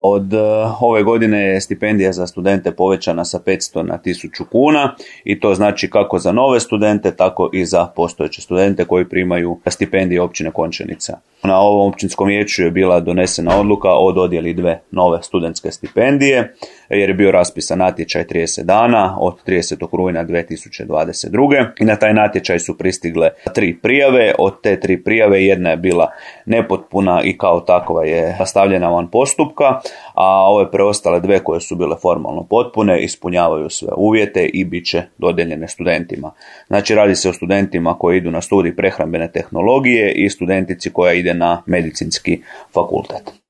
Od ove godine je stipendija za studente povećana sa 500 na 1000 kuna i to znači kako za nove studente, tako i za postojeće studente koji primaju stipendije općine Končanica. Na ovom općinskom vijeću je bila donesena odluka o dodjeli 2 nove studentske stipendije, jer je bio raspisan natječaj 30 dana od 30. rujna 2022. I na taj natječaj su pristigle 3 prijave. Od te 3 prijave jedna je bila nepotpuna i kao takva je stavljena van postupka, a ove preostale 2 koje su bile formalno potpune ispunjavaju sve uvjete i bit će dodijeljene studentima. Znači radi se o studentima koji idu na studij prehrambene tehnologije i studentici koja ide na medicinski fakultet.